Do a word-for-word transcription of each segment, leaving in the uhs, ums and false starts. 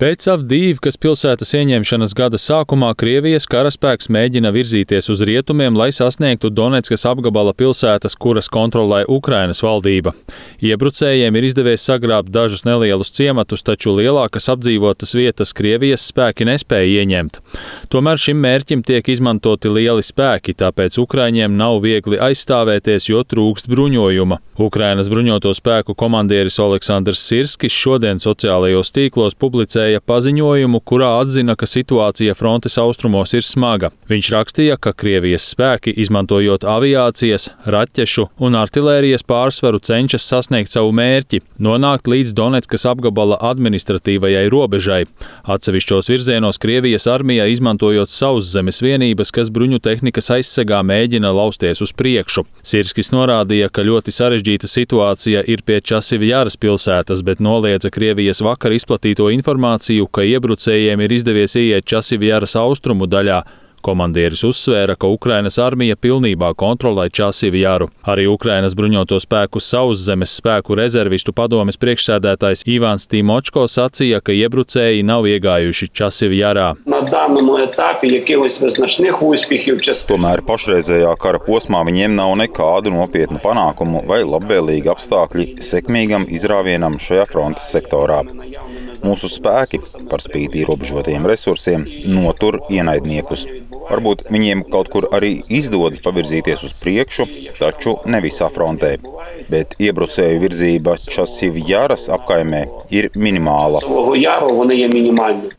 Pēc Avdīvkas pilsētas ieņemšanas gada sākumā Krievijas karaspēks mēģina virzīties uz rietumiem, lai sasniegtu Doneckas apgabala pilsētas, kuras kontrolē Ukrainas valdība. Iebrucējiem ir izdevies sagrābt dažus nelielus ciematus, taču lielākas apdzīvotas vietas Krievijas spēki nespēja ieņemt. Tomēr šim mērķim tiek izmantoti lieli spēki, tāpēc Ukraiņiem nav viegli aizstāvēties, jo trūkst bruņojuma. Ukrainas bruņoto spēku komandieris Oleksandrs Sirskis šodien sociālajos tīklos publicēja paziņojumu, kurā atzina, ka situācija frontes austrumos ir smaga. Viņš rakstīja, ka Krievijas spēki, izmantojot aviācijas, raķešu un artilērijas pārsvaru, cenšas sasniegt savu mērķi – nonākt līdz Doneckas apgabala administratīvajai robežai. Atsevišķos virzienos Krievijas armija, izmantojot sauszemes vienības, kas bruņu tehnikas aizsegā, mēģina lausties uz priekšu. Sirskis norādīja, ka ļoti sarežģīta situācija ir pie Časivjaras pilsētas, bet noliedza Krievijas vakar izplatīto informāciju, ka iebrucējiem ir izdevies ieiet Časivjaras austrumu daļā. Komandieris uzsvēra, ka Ukrainas armija pilnībā kontrolē Časivjaru. Arī Ukrainas bruņoto spēku sauszemes spēku rezervistu padomes priekšsēdētājs Ivans Timočko sacīja, ka iebrucēji nav iegājuši Časivjarā. Tomēr pašreizējā kara posmā viņiem nav nekādu nopietnu panākumu vai labvēlīgi apstākļi sekmīgam izrāvienam šajā frontes sektorā. Mūsu spēki, par spīti ierobežotajiem resursiem, notur ienaidniekus. Varbūt viņiem kaut kur arī izdodas pavirzīties uz priekšu, taču ne visā frontē. Bet iebrucēju virzība Časivjaras apkaimē ir minimāla.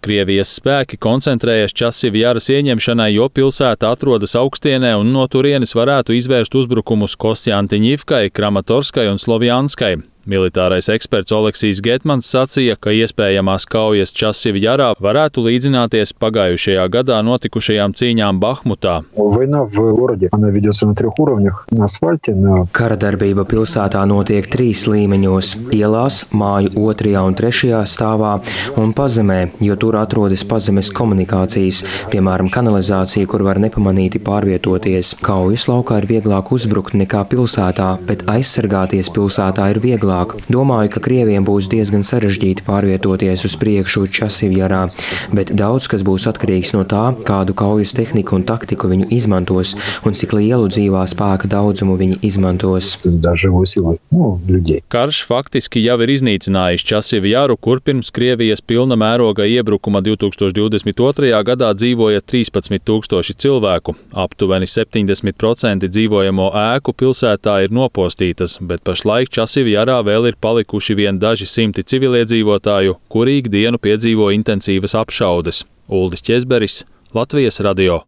Krievijas spēki koncentrējas Časivjaras ieņemšanai, jo pilsēta atrodas augstienē un no turienes varētu izvērst uzbrukumus Kostjantiņivkai, Kramatorskai un Slovjanskai. Militārais eksperts Oleksijs Getmans sacīja, ka iespējamās kaujas Časivjarā varētu līdzināties pagājušajā gadā notikušajām cīņām Bahmutā. Kara darbība pilsētā notiek trīs līmeņos – ielās, māju otrajā un trešajā stāvā un pazemē, jo tur atrodas pazemes komunikācijas, piemēram, kanalizācija, kur var nepamanīti pārvietoties. Kaujas laukā ir vieglāk uzbrukt nekā pilsētā, bet aizsargāties pilsētā ir vieglāk. Domāju, ka Krieviem būs diezgan sarežģīti pārvietoties uz priekšu Časivjarā, bet daudz kas būs atkarīgs no tā, kādu kaujas tehniku un taktiku viņu izmantos un cik lielu dzīvā spēka daudzumu viņi izmantos. Karš faktiski jau ir iznīcinājis Časivjaru, kur pirms Krievijas pilna mēroga iebrukuma divtūkstoš divdesmit otrajā gadā dzīvoja trīspadsmit tūkstoši cilvēku. Aptuveni septiņdesmit procenti dzīvojamo ēku pilsētā ir nopostītas, bet pašlaik Časivjarā vēl ir palikuši vien daži simti civiliedzīvotāju, kuri ikdienu piedzīvo intensīvas apšaudes. Uldis Ķezberis, Latvijas radio.